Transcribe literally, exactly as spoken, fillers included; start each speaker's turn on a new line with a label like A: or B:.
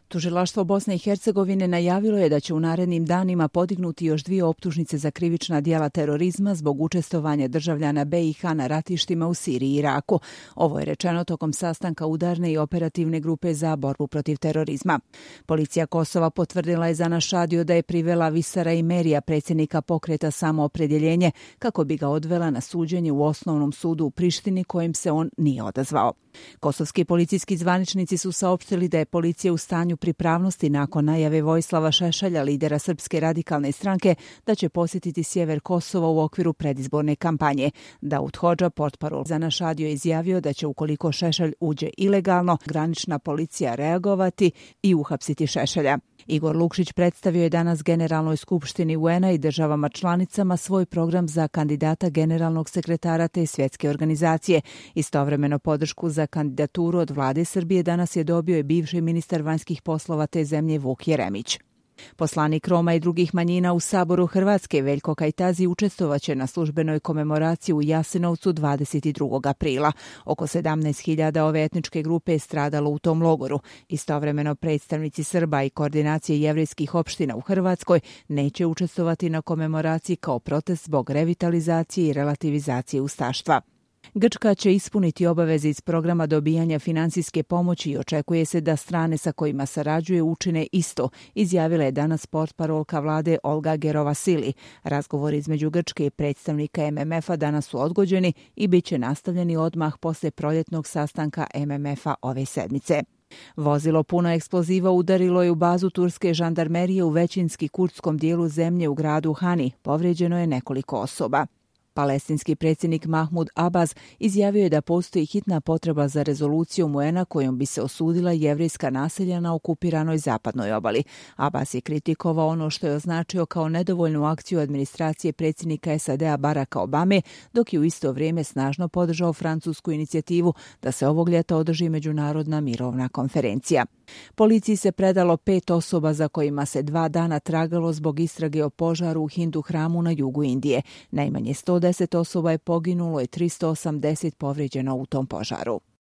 A: Tužilaštvo Bosne i Hercegovine najavilo je da će u narednim danima podignuti još dvije optužnice za krivična djela terorizma zbog učestvovanja državljana be i ha na ratištima u Siriji i Iraku. Ovo je rečeno tokom sastanka udarne i operativne grupe za borbu protiv terorizma. Policija Kosova potvrdila je za Našadio da je privela Visara Imerija, predsjednika pokreta Samoopredjeljenje, kako bi ga odvela na suđenje u osnovnom sudu u Prištini, kojem se on nije odazvao. Kosovski policijski zvaničnici su saopštili da je policija u stanju pripravnosti nakon najave Vojislava Šešelja, lidera Srpske radikalne stranke, da će posjetiti sjever Kosova u okviru predizborne kampanje. Daud Hodža, portparol za Našadio, je izjavio da će, ukoliko Šešelj uđe ilegalno, granična policija reagovati i uhapsiti Šešelja. Igor Lukšić predstavio je danas Generalnoj skupštini u en a i državama članicama svoj program za kandidata generalnog sekretara te svjetske organizacije. Istovremeno podršku za kandidaturu od vlade Srbije danas je dobio i bivši ministar vanjskih poslova te zemlje Vuk Jeremić. Poslanik Roma i drugih manjina u Saboru Hrvatske Veljko Kajtazi učestvovaće na službenoj komemoraciji u Jasenovcu dvadeset drugog aprila. Oko sedamnaest hiljada ove etničke grupe je stradalo u tom logoru. Istovremeno predstavnici Srba i koordinacije jevrejskih opština u Hrvatskoj neće učestvovati na komemoraciji kao protest zbog revitalizacije i relativizacije ustaštva. Grčka će ispuniti obaveze iz programa dobijanja finansijske pomoći i očekuje se da strane sa kojima sarađuje učine isto, izjavila je danas portparolka vlade Olga Gerovasili. Razgovori između Grčke i predstavnika em em ef-a danas su odgođeni i bit će nastavljeni odmah posle proljetnog sastanka em em ef-a ove sedmice. Vozilo puno eksploziva udarilo je u bazu turske žandarmerije u većinski kurdskom dijelu zemlje u gradu Hani. Povrijeđeno je nekoliko osoba. Palestinski predsjednik Mahmud Abbas izjavio je da postoji hitna potreba za rezolucijom u en a kojom bi se osudila jevrejska naselja na okupiranoj zapadnoj obali. Abbas je kritikovao ono što je označio kao nedovoljnu akciju administracije predsjednika es a de a Baracka Obame, dok je u isto vrijeme snažno podržao francusku inicijativu da se ovog ljeta održi međunarodna mirovna konferencija. Policiji se predalo pet osoba za kojima se dva dana tragalo zbog istrage o požaru u Hindu hramu na jugu Indije. Najmanje sto deset osoba je poginulo i tristo osamdeset povrijeđeno u tom požaru.